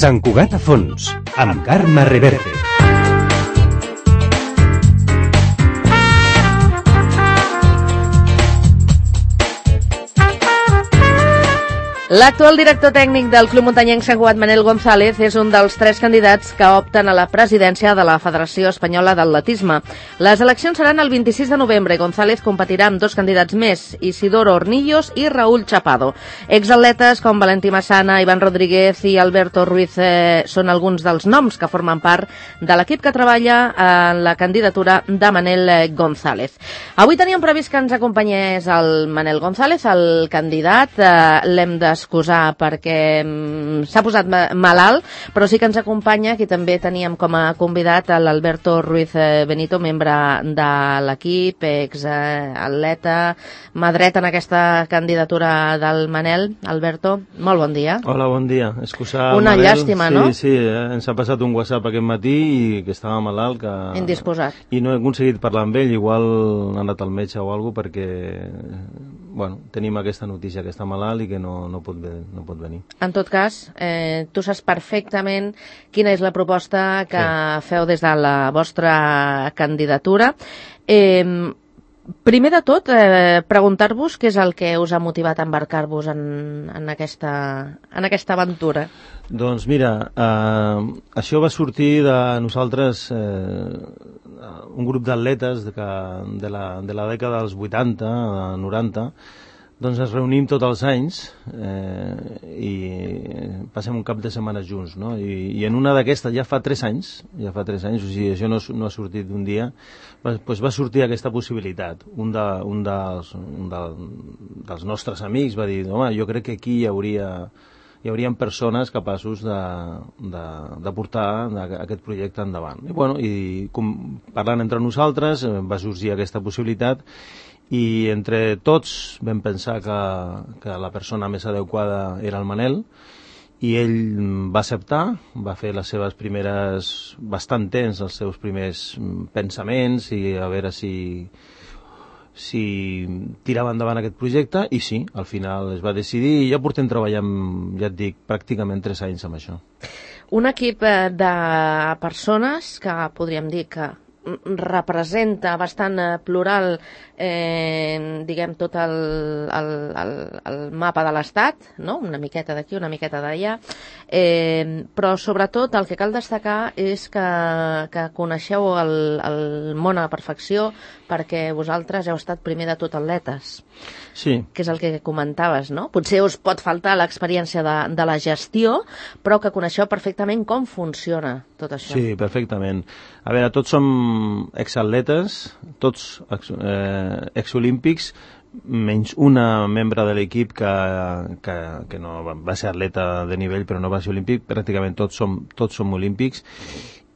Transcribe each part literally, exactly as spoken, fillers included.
Sant Cugat a fons, amb Carme Reverte. L'actual director tècnic del Club Muntanyenc Sant Cugat, Manel González, és un dels tres candidats que opten a la presidència de la Federació Espanyola d'Atletisme. Les eleccions seran el vint-i-sis de novembre i González competirà amb dos candidats més, Isidoro Hornillos i Raúl Chapado. Exatletes com Valentí Massana, Iván Rodríguez i Alberto Ruiz eh, són alguns dels noms que formen part de l'equip que treballa en la candidatura de Manel González. Avui teníem previst que ens acompanyés el Manel González, el candidat. Eh, l'hem de excusar perquè mm, s'ha posat malalt, però sí que ens acompanya, qui també teníem com a convidat, l'Alberto Ruiz Benito, membre de l'equip, ex-atleta, mà dreta en aquesta candidatura del Manel. Alberto, molt bon dia. Hola, bon dia. Excusar Una Manel. llàstima, sí, no? Sí, eh? ens ha passat un WhatsApp aquest matí i que estava malalt. Que... Indisposat. I no he aconseguit parlar amb ell, igual ha anat al metge o alguna cosa, perquè bueno, tenim aquesta notícia que està malalt i que no, no, pot, no pot venir. En tot cas, eh, tu saps perfectament quina és la proposta que sí. feu des de la vostra candidatura. Eh, primer de tot, eh, preguntar-vos què és el que us ha motivat a embarcar-vos en, en, aquesta, en aquesta aventura. Doncs mira, eh, això va sortir de nosaltres, eh, un grup d'atletes de, de, la, de la dècada dels vuitanta, noranta, doncs ens reunim tots els anys eh, i passem un cap de setmana junts, no? I, i en una d'aquestes, ja fa tres anys, ja fa tres anys, o sigui, això no, no ha sortit d'un dia, va, doncs va sortir aquesta possibilitat. Un, de, un, dels, un de, dels nostres amics va dir, home, jo crec que aquí hi hauria... hi haurien persones capaços de, de, de portar aquest projecte endavant. I, bueno, i com, parlant entre nosaltres va sorgir aquesta possibilitat i entre tots vam pensar que, que la persona més adequada era el Manel i ell va acceptar, va fer les seves primeres, bastant temps, els seus primers pensaments i a veure si... si tirava endavant aquest projecte i sí, al final es va decidir i ja portem treballant, ja et dic, pràcticament tres anys amb això. Un equip de persones que podríem dir que representa bastant plural eh, diguem tot el, el, el, el mapa de l'Estat, no? Una miqueta d'aquí, una miqueta d'allà, eh, però sobretot el que cal destacar és que, que coneixeu el, el món a la perfecció perquè vosaltres heu estat primer de tot atletes, sí. Que és el que comentaves, no? Potser us pot faltar l'experiència de, de la gestió, però que coneixeu perfectament com funciona tot això. Sí, perfectament. A veure, tots som exatletes, tots eh, exolímpics, menys una membre de l'equip que, que, que no va ser atleta de nivell però no va ser olímpic, pràcticament tots som, tots som olímpics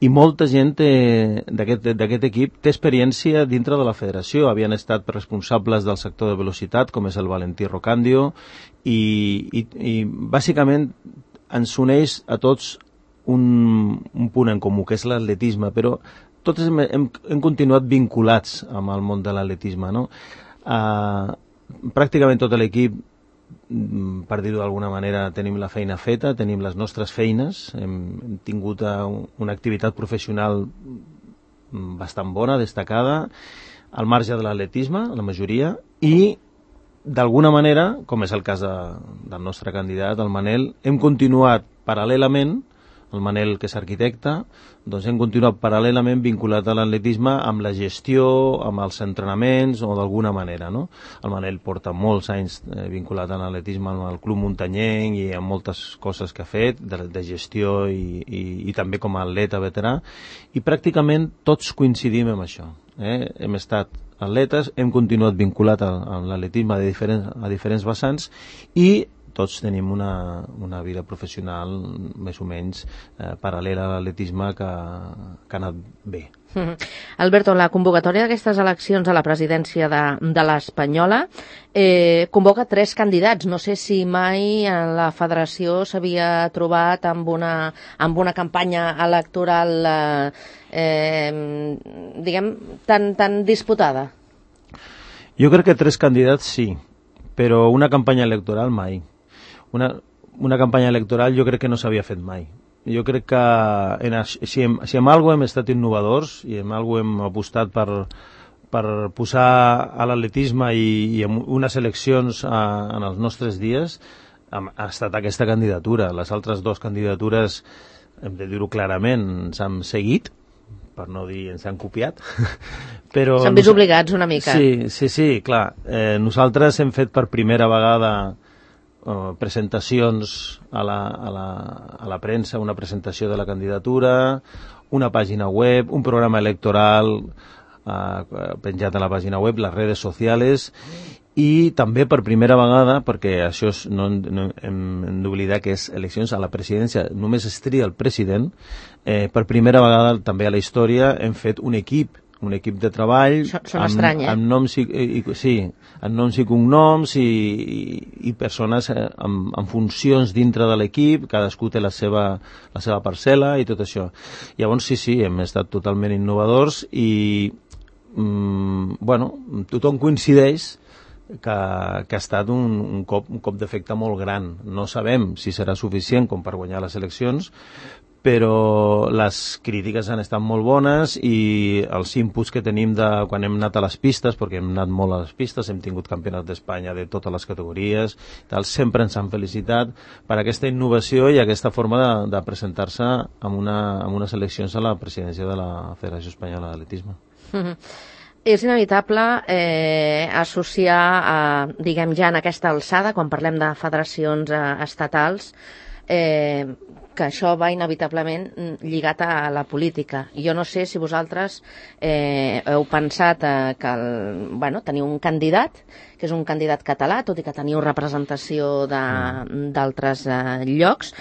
i molta gent d'aquest equip té experiència dintre de la federació, havien estat responsables del sector de velocitat com és el Valentí Rocandio i, i, i bàsicament ens uneix a tots un, un punt en comú que és l'atletisme, però tots hem, hem, hem continuat vinculats amb el món de l'atletisme, no? Uh, pràcticament tot l'equip, per dir-ho d'alguna manera, tenim la feina feta, tenim les nostres feines, hem, hem tingut uh, una activitat professional bastant bona, destacada, al marge de l'atletisme, la majoria, i d'alguna manera, com és el cas de, del nostre candidat, el Manel, hem continuat paral·lelament, el Manel, que és arquitecte, doncs hem continuat paral·lelament vinculat a l'atletisme amb la gestió, amb els entrenaments o d'alguna manera, no? El Manel porta molts anys eh, vinculat a l'atletisme amb el Club Muntanyenc i amb moltes coses que ha fet de, de gestió i, i, i també com a atleta veterà i pràcticament tots coincidim amb això. Eh? Hem estat atletes, hem continuat vinculat a, a l'atletisme a diferents, a diferents vessants i tots tenim una, una vida professional més o menys eh, paral·lela a l'atletisme que, que ha anat bé. Mm-hmm. Alberto, la convocatòria d'aquestes eleccions a la presidència de, de l'Espanyola eh, convoca tres candidats. No sé si mai la federació s'havia trobat amb una, amb una campanya electoral eh, eh, diguem, tan, tan disputada. Jo crec que tres candidats sí, però una campanya electoral mai. Una, una campanya electoral jo crec que no s'havia fet mai jo crec que en, si, en, si en alguna hem estat innovadors i en alguna hem apostat per, per posar a l'atletisme i, i en unes eleccions a, en els nostres dies, ha, ha estat aquesta candidatura. Les altres dues candidatures, hem de dir-ho clarament, s'han seguit, per no dir ens han copiat. Però s'han vist obligats una mica. Sí, sí, sí, clar. Eh, nosaltres hem fet per primera vegada eh, presentacions a la, a, la, a la premsa, una presentació de la candidatura, una pàgina web, un programa electoral eh, penjat a la pàgina web, les redes socials, i també per primera vegada, perquè això és, no, no hem, hem d'oblidar que és eleccions a la presidència, només es tria el president, eh, per primera vegada també a la història hem fet un equip, un equip de treball Són amb, estrany, eh? amb noms i, i, sí, amb noms i cognoms i, i, i persones amb, amb funcions dintre de l'equip, cadascú té la seva, la seva parcel·la i tot això. Llavors sí, sí, hem estat totalment innovadors i mm, bueno, tothom coincideix que, que ha estat un, un cop, un cop d'efecte molt gran. No sabem si serà suficient com per guanyar les eleccions, però les crítiques han estat molt bones i els inputs que tenim de quan hem anat a les pistes, perquè hem anat molt a les pistes, hem tingut campionats d'Espanya de totes les categories, tal, sempre ens han felicitat per aquesta innovació i aquesta forma de, de presentar-se en, una, en unes eleccions a la presidència de la Federació Espanyola d'Atletisme. Mm-hmm. És inevitable eh, associar, a, diguem ja en aquesta alçada, quan parlem de federacions eh, estatals, eh, que això va inevitablement lligat a la política. Jo no sé si vosaltres eh, heu pensat eh, que el, bueno, teniu un candidat, que és un candidat català, tot i que teniu representació d'altres eh, llocs,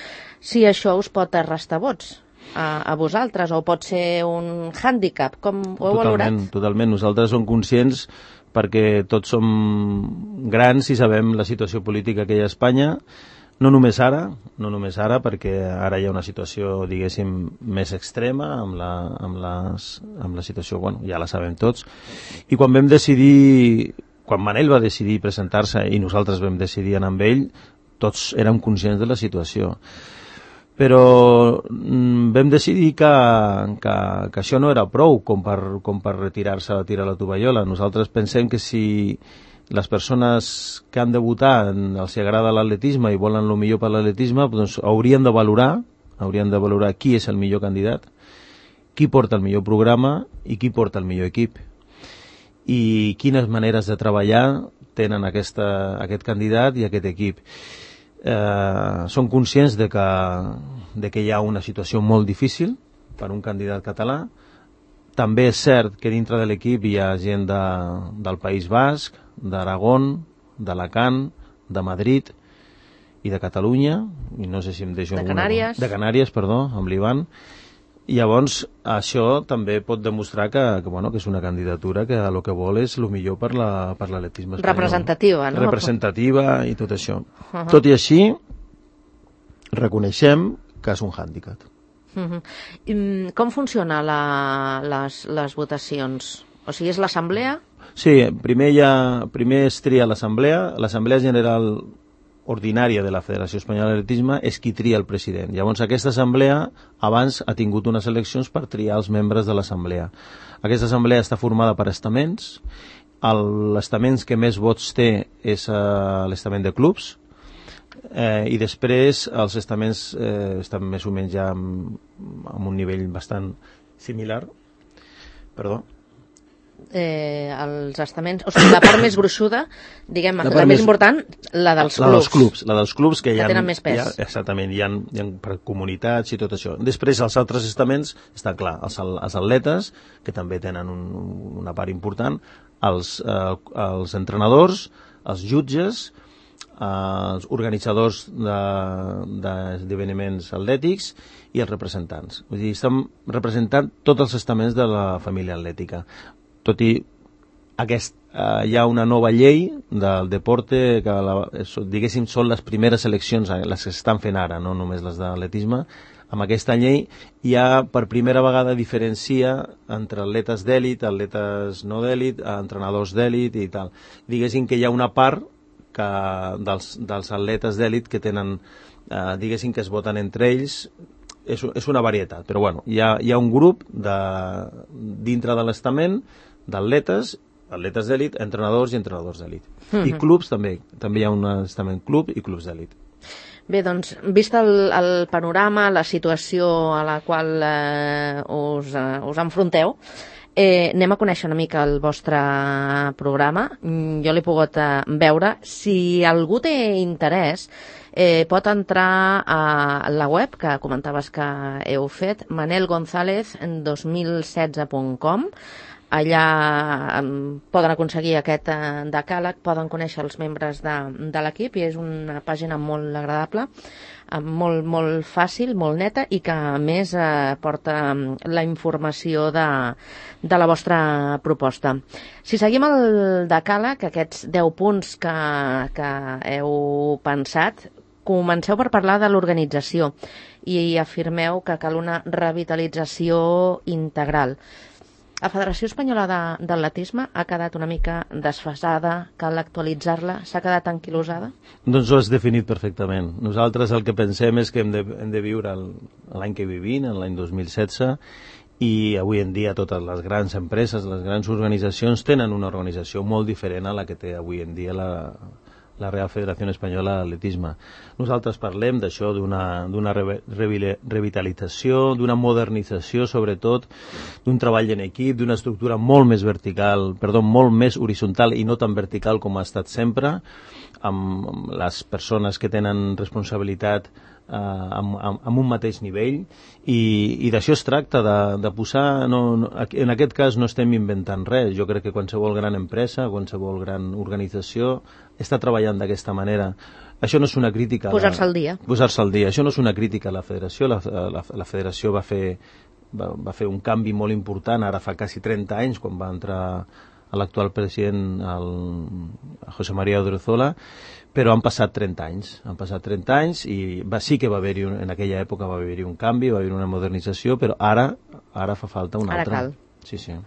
si això us pot restar vots a, a vosaltres, o pot ser un hàndicap, com ho heu valorat? Totalment, totalment. Nosaltres som conscients perquè tots som grans i sabem la situació política que hi ha a Espanya, no només ara, no només ara, perquè ara hi ha una situació, diguéssim, més extrema amb la, amb les, amb la situació, bueno, ja la sabem tots, i quan vam decidir, quan Manel va decidir presentar-se i nosaltres vam decidir anar amb ell, tots érem conscients de la situació. Però mm, vam decidir que, que, que això no era prou com per, com per retirar-se a tirar la tovallola. Nosaltres pensem que si les persones que han de votar els agrada l'atletisme i volen el millor per l'atletisme, doncs haurien de valorar, haurien de valorar qui és el millor candidat, qui porta el millor programa i qui porta el millor equip. I quines maneres de treballar tenen aquesta, aquest candidat i aquest equip. Eh, són conscients de que, de que hi ha una situació molt difícil per un candidat català. També és cert que dintre de l'equip hi ha gent de, del País Basc, d'Aragón, d'Alacant, de Madrid i de Catalunya, i no sé si em deixo de alguna... Canàries. De Canàries, perdó, amb l'Ivan. I llavors això també pot demostrar que, que, bueno, que és una candidatura que el que vol és el millor per la, per l'atletisme espanyol. Representativa, no? Representativa i tot això. Uh -huh. Tot i així, reconeixem que és un hàndicap. Uh -huh. Com funciona la, les, les votacions? O sigui, és l'assemblea? Sí, primer, ha, primer es tria l'assemblea. L'assemblea general ordinària de la Federació Espanyola d'Atletisme és qui tria el president. Llavors aquesta assemblea abans ha tingut unes eleccions per triar els membres de l'assemblea. Aquesta assemblea està formada per estaments. L'estaments que més vots té és uh, l'estament de clubs, eh, i després els estaments eh, estan més o menys ja amb, amb un nivell bastant similar. Perdó. Eh, els estaments, o sigui, la part més gruixuda, diguem, la, la més, més important, la dels la clubs. Dels clubs. La dels clubs que, que hi ha, tenen més pes. Hi ha, exactament, hi ha, hi ha per comunitats i tot això. Després els altres estaments, està clar, els, els atletes, que també tenen un, una part important, els, eh, els entrenadors, els jutges, eh, els organitzadors d'esdeveniments de, atlètics i els representants. Vull dir, estem representant tots els estaments de la família atlètica. Tot i aquest, eh, hi ha una nova llei del deporte que, la, diguéssim, són les primeres eleccions, les que s'estan fent ara, no només les d'atletisme. Amb aquesta llei ja per primera vegada diferencia entre atletes d'èlit, atletes no d'èlit, entrenadors d'èlit i tal. Diguéssim que hi ha una part que dels, dels atletes d'èlit que tenen, eh, diguéssim que es voten entre ells, és, és una varietat, però bueno, hi ha, hi ha un grup de, dintre de l'estament d'atletes, atletes d'elit, entrenadors i entrenadors d'elit. Mm-hmm. I clubs també, també hi ha un estament club i clubs d'elit. Bé, doncs, vist el, el panorama, la situació a la qual eh, us, eh, us enfronteu, eh, anem a conèixer una mica el vostre programa. Jo l'he pogut eh, veure. Si algú té interès, eh, pot entrar a la web que comentaves que heu fet, manel gonzález dos mil setze punt com. Allà um, poden aconseguir aquest uh, decàleg, poden conèixer els membres de, de l'equip, i és una pàgina molt agradable, uh, molt, molt fàcil, molt neta, i que a més uh, porta um, la informació de, de la vostra proposta. Si seguim el decàleg, aquests deu punts que, que heu pensat, comenceu per parlar de l'organització i afirmeu que cal una revitalització integral. La Federació Espanyola de, d'Atletisme ha quedat una mica desfasada, cal actualitzar-la, s'ha quedat anquilosada? Doncs ho has definit perfectament. Nosaltres el que pensem és que hem de, hem de viure el, l'any que vivim, l'any dos mil setze, i avui en dia totes les grans empreses, les grans organitzacions tenen una organització molt diferent a la que té avui en dia la, la Real Federació Espanyola d'Atletisme. Nosaltres parlem d'això, d'una, d'una re, re, revitalització, d'una modernització, sobretot, d'un treball en equip, d'una estructura molt més vertical, perdó, molt més horitzontal i no tan vertical com ha estat sempre, amb, amb les persones que tenen responsabilitat eh, amb, amb, amb un mateix nivell, i, i d'això es tracta, de, de posar, no, no, en aquest cas no estem inventant res. Jo crec que qualsevol gran empresa, qualsevol gran organització està treballant d'aquesta manera. Això no és una crítica... Posar-se al dia. Posar-se al dia. Això no és una crítica a la federació. La, la, la federació va fer, va, va fer un canvi molt important, ara fa quasi trenta anys, quan va entrar l'actual president, el José María Odriozola, però han passat trenta anys. Han passat trenta anys i va, sí que va haver-hi, en aquella època va haver-hi un canvi, va haver-hi una modernització, però ara, ara fa falta una ara altra. Cal. Sí, sí.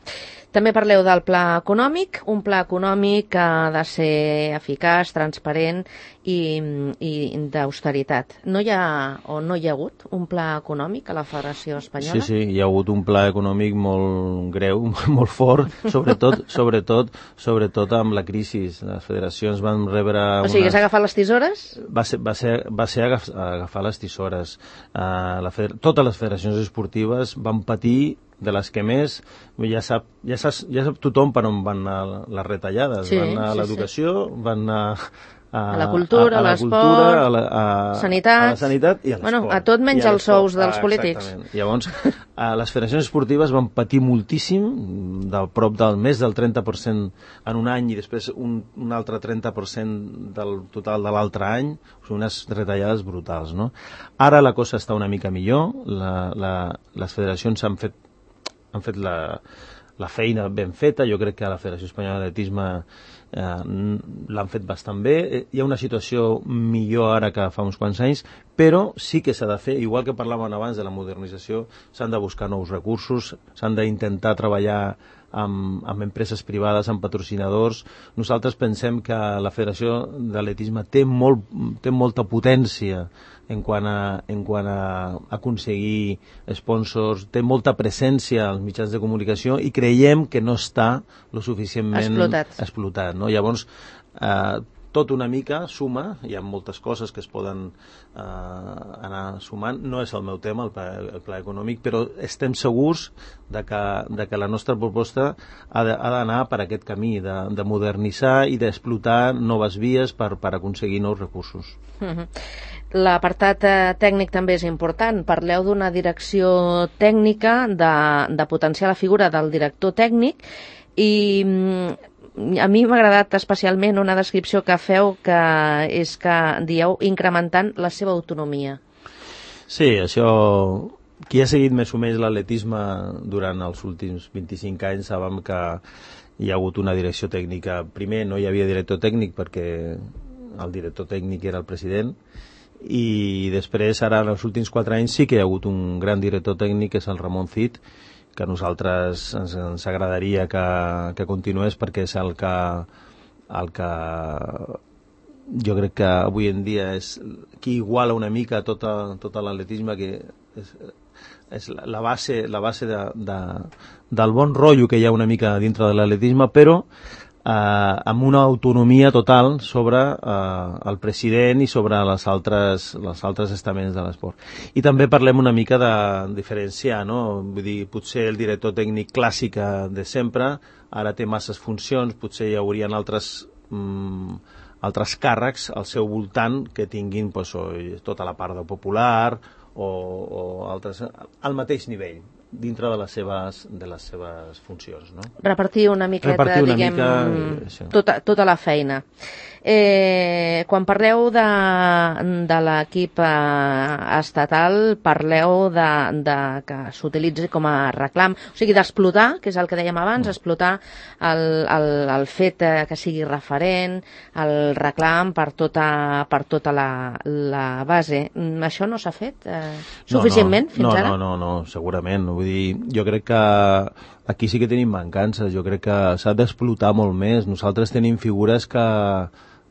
També parleu del pla econòmic, un pla econòmic que ha de ser eficaç, transparent i, i d'austeritat. No hi ha, o no hi ha hagut, un pla econòmic a la Federació Espanyola? Sí, sí, hi ha hagut un pla econòmic molt greu, molt fort, sobretot, sobretot, sobretot amb la crisi. Les federacions van rebre... O sigui, unes... s'ha agafat les tisores? Va ser, va ser, va ser agaf, agafar les tisores. Uh, la feder... Totes les federacions esportives van patir de les que més, ja sap, ja sap, ja sap tothom per on van anar les retallades. Sí, van anar a l'educació, sí, sí. van anar a, a la cultura, a, a l'esport, a, la, a, sanitat, a la sanitat i a l'esport. Bueno, a tot menys els sous dels ah, polítics. Exactament. Llavors, a les federacions esportives van patir moltíssim, del prop del més del trenta per cent en un any i després un, un altre trenta per cent del total de l'altre any, unes retallades brutals, no? Ara la cosa està una mica millor, la, la, les federacions han fet han fet la, la feina ben feta. Jo crec que a la Federació Espanyola d'Atletisme eh, l'han fet bastant bé. Hi ha una situació millor ara que fa uns quants anys, però sí que s'ha de fer, igual que parlàvem abans de la modernització, s'han de buscar nous recursos, s'han d'intentar treballar amb, amb empreses privades, amb patrocinadors. Nosaltres pensem que la Federació d'Atletisme té, molt, té molta potència en quant a, en quant a aconseguir sponsors, té molta presència als mitjans de comunicació i creiem que no està lo suficientment explotat. explotat, no? Llavors, eh, tot una mica suma, hi ha moltes coses que es poden eh, anar sumant. No és el meu tema, el pla, el pla econòmic, però estem segurs de que, de que la nostra proposta ha d'anar per aquest camí, de, de modernitzar i d'explotar noves vies per, per aconseguir nous recursos. Mm-hmm. L'apartat eh, tècnic també és important. Parleu d'una direcció tècnica, de, de potenciar la figura del director tècnic, i a mi m'ha agradat especialment una descripció que feu, que és que dieu incrementant la seva autonomia. Sí, això... Qui ha seguit més o menys l'atletisme durant els últims vint-i-cinc anys sabem que hi ha hagut una direcció tècnica. Primer no hi havia director tècnic perquè el director tècnic era el president, i després ara en els últims quatre anys sí que hi ha hagut un gran director tècnic, que és el Ramon Cid, que a nosaltres ens, ens agradaria que, que continués, perquè és el que, el que jo crec que avui en dia és qui iguala una mica tota, tota l'atletisme, que és, és la base, la base de, de, del bon rotllo que hi ha una mica dintre de l'atletisme, però eh, amb una autonomia total sobre eh, el president i sobre les altres, les altres estaments de l'esport. I també parlem una mica de diferenciar, no? Vull dir, potser el director tècnic clàssic de sempre ara té masses funcions, potser hi haurien altres mm, altres càrrecs al seu voltant que tinguin pues, o, tota la part de popular o, o altres al mateix nivell dintre de les seves, de les seves funcions, no? Repartir una miqueta, Repartir una diguem, mica, tota, tota la feina. Eh, quan parleu de, de l'equip eh, estatal, parleu de, de que s'utilitzi com a reclam, o sigui, d'explotar, que és el que dèiem abans, explotar el, el, el fet que sigui referent, el reclam per tota, per tota la, la base. Això no s'ha fet eh, suficientment no, no, fins no, ara? No, no, no, segurament. Vull dir, jo crec que aquí sí que tenim mancances, jo crec que s'ha d'explotar molt més. Nosaltres tenim figures que,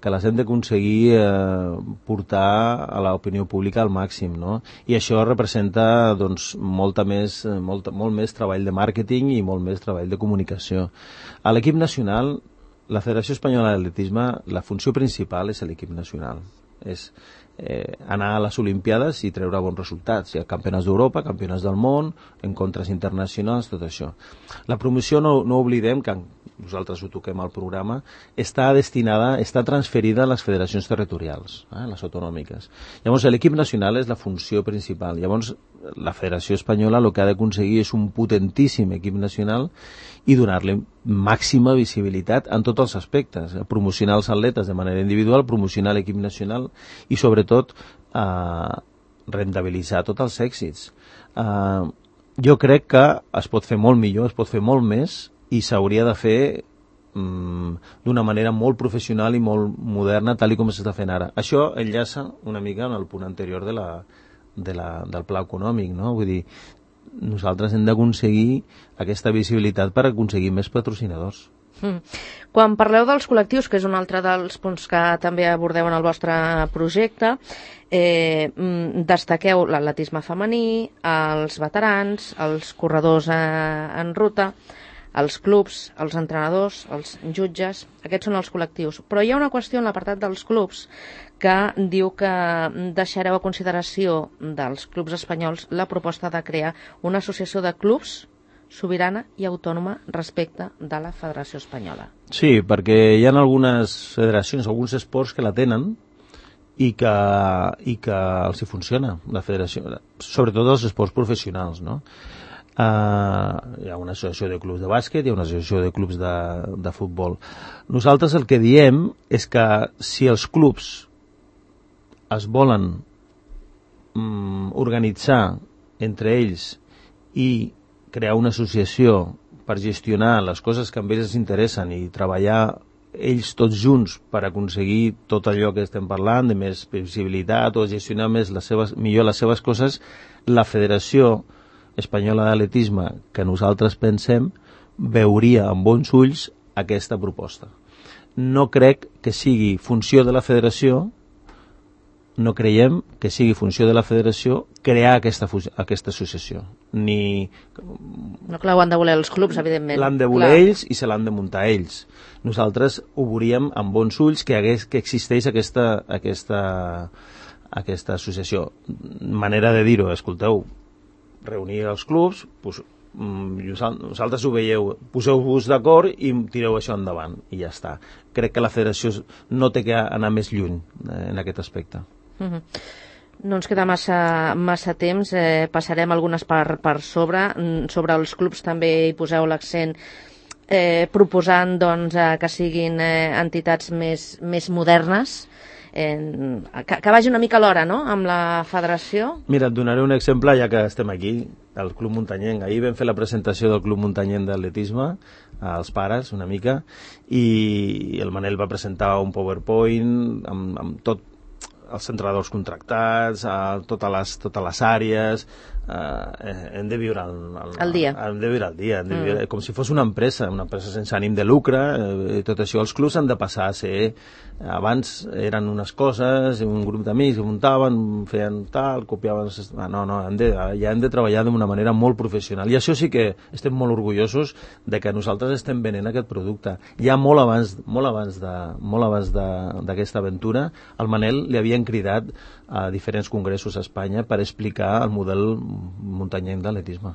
que les hem d'aconseguir eh, portar a l'opinió pública al màxim, no? I això representa doncs, molta més, molt, molt més treball de màrqueting i molt més treball de comunicació. A l'equip nacional, la Federació Espanyola d'Atletisme, la funció principal és l'equip nacional. És eh, anar a les Olimpiades i treure bons resultats. Hi ha campionats d'Europa, campionats del món, encontres internacionals, tot això. La promoció, no, no oblidem que nosaltres ho toquem al programa, està destinada, està transferida a les federacions territorials, eh, les autonòmiques. Llavors, l'equip nacional és la funció principal. Llavors, la Federació Espanyola el que ha d'aconseguir és un potentíssim equip nacional i donar-li màxima visibilitat en tots els aspectes. Promocionar els atletes de manera individual, promocionar l'equip nacional i, sobretot, eh, rentabilitzar tots els èxits. Eh, jo crec que es pot fer molt millor, es pot fer molt més, i s'hauria de fer mm, d'una manera molt professional i molt moderna, tal i com s'està fent ara. Això enllaça una mica en el punt anterior de la, de la, del pla econòmic, no? Vull dir, nosaltres hem d'aconseguir aquesta visibilitat per aconseguir més patrocinadors. Mm. Quan parleu dels col·lectius, que és un altre dels punts que també abordeu en el vostre projecte, eh, destaqueu l'atletisme femení, els veterans, els corredors eh, en ruta, els clubs, els entrenadors, els jutges, aquests són els col·lectius. Però hi ha una qüestió en l'apartat dels clubs que diu que deixareu a consideració dels clubs espanyols la proposta de crear una associació de clubs sobirana i autònoma respecte de la Federació Espanyola. Sí, perquè hi ha algunes federacions, alguns esports que la tenen i que, i que els hi funciona, la federació, sobretot els esports professionals, no? Uh, hi ha una associació de clubs de bàsquet, hi ha una associació de clubs de, de futbol. Nosaltres el que diem és que si els clubs es volen um, organitzar entre ells i crear una associació per gestionar les coses que amb ells els interessen i treballar ells tots junts per aconseguir tot allò que estem parlant, de més visibilitat o gestionar més les seves, millor les seves coses, la Federació Espanyola d'Atletisme que nosaltres pensem veuria amb bons ulls aquesta proposta. No crec que sigui funció de la federació, no creiem que sigui funció de la federació crear aquesta, aquesta associació. Ni... No, clar, ho han de voler els clubs, evidentment. L'han de voler clar. ells i se l'han de muntar ells. Nosaltres ho veuríem amb bons ulls que, hagués, que existeix aquesta, aquesta, aquesta associació. Manera de dir-ho, escolteu, reunir els clubs, pues, vosaltres ho veieu, poseu-vos d'acord i tireu això endavant i ja està. Crec que la federació no té que anar més lluny en aquest aspecte. Uh-huh. No ens queda massa, massa temps, eh, passarem algunes per, per sobre. Sobre els clubs també hi poseu l'accent eh, proposant doncs, eh, que siguin eh, entitats més, més modernes, Eh, que, que vagi una mica a l'hora, no?, amb la federació. Mira, et donaré un exemple, ja que estem aquí, al Club Muntanyenc. Ahir vam fer la presentació del Club Muntanyenc d'Atletisme, als pares, una mica, i el Manel va presentar un PowerPoint amb, amb tot els entrenadors contractats, a totes les, totes les àrees, eh, hem de viure el, el, el dia. Hem de viure el dia, hem de viure, mm. com si fos una empresa, una empresa sense ànim de lucre, eh, tot això. Els clubs han de passar a ser, abans eren unes coses, un grup d'amics que muntaven, feien tal, copiaven... No, no, hem de, ja hem de treballar d'una manera molt professional. I això sí que estem molt orgullosos de que nosaltres estem venent aquest producte. Ja molt abans, molt abans de, molt abans d'aquesta aventura, al Manel li havien cridat a diferents congressos a Espanya per explicar el model muntanyenc d'atletisme.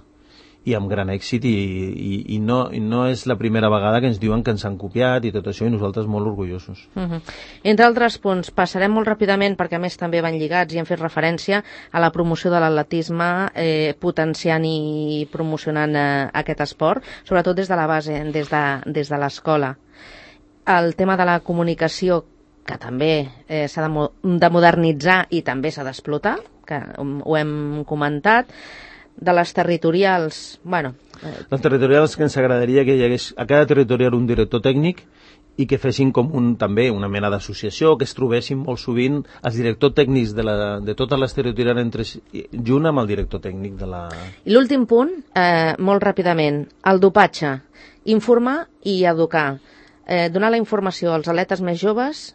I amb gran èxit, i, i, i, no, i no és la primera vegada que ens diuen que ens han copiat i tot això, i nosaltres molt orgullosos. Uh-huh. Entre altres punts, passarem molt ràpidament, perquè a més també van lligats i hem fet referència a la promoció de l'atletisme, eh, potenciant i promocionant eh, aquest esport, sobretot des de la base, des de, des de l'escola. El tema de la comunicació, que també eh, s'ha de, mo de modernitzar i també s'ha d'explotar, que ho hem comentat. De les territorials, bueno... Eh... Les territorials, que ens agradaria que hi hagués a cada territorial un director tècnic i que fessin com un, també una mena d'associació, que es trobessin molt sovint els directors tècnics de, la, de totes les territorials entre, junt amb el director tècnic de la... I l'últim punt, eh, molt ràpidament, el dopatge. Informar i educar. Eh, donar la informació als atletes més joves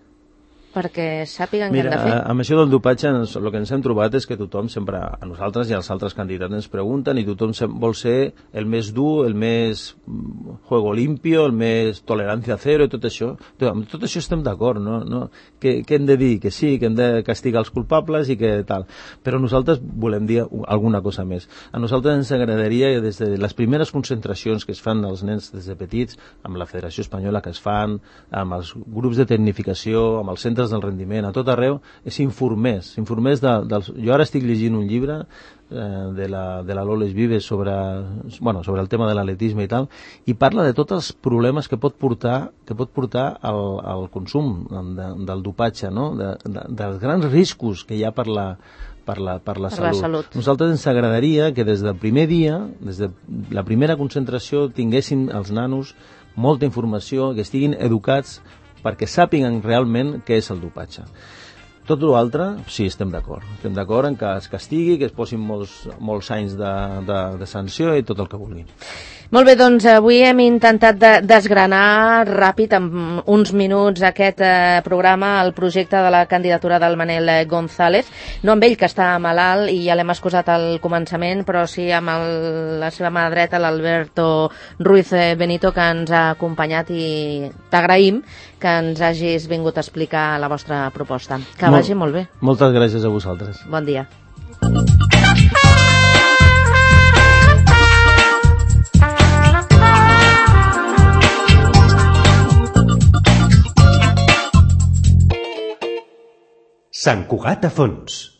perquè sàpiguen què han de fer. Mira, amb això del dopatge, el que ens hem trobat és que tothom sempre, a nosaltres i als altres candidats ens pregunten, i tothom vol ser el més dur, el més juego limpio, el més tolerancia cero i tot això. Amb tot això estem d'acord, no? no? Què, què hem de dir? Que sí, que hem de castigar els culpables i que tal. Però nosaltres volem dir alguna cosa més. A nosaltres ens agradaria, des de les primeres concentracions que es fan als nens des de petits, amb la Federació Espanyola que es fan, amb els grups de tecnificació, amb els centres del rendiment, a tot arreu, és informés, informés de, dels... Jo ara estic llegint un llibre eh, de la, de la Loles Vives sobre, bueno, sobre el tema de l'atletisme i tal, i parla de tots els problemes que pot portar, que pot portar al, al consum de, del dopatge, no? de, de, dels grans riscos que hi ha per la, per la, per la, per salut. la salut. Nosaltres ens agradaria que des del primer dia, des de la primera concentració, tinguessin els nanos molta informació, que estiguin educats perquè sàpiguen realment què és el dopatge. Tot l'altre, sí, estem d'acord. Estem d'acord en que es castigui, que es posin molts, molts anys de, de, de sanció i tot el que vulguin. Molt bé, doncs avui hem intentat de desgranar ràpid, en uns minuts, aquest eh, programa, el projecte de la candidatura del Manel González. No amb ell, que està malalt, i ja l'hem excusat al començament, però sí amb el, la seva mà dreta, l'Alberto Ruiz Benito, que ens ha acompanyat, i t'agraïm que ens hagis vingut a explicar la vostra proposta. Que Mol, vagi molt bé. Moltes gràcies a vosaltres. Bon dia. Sant Cugat a fons.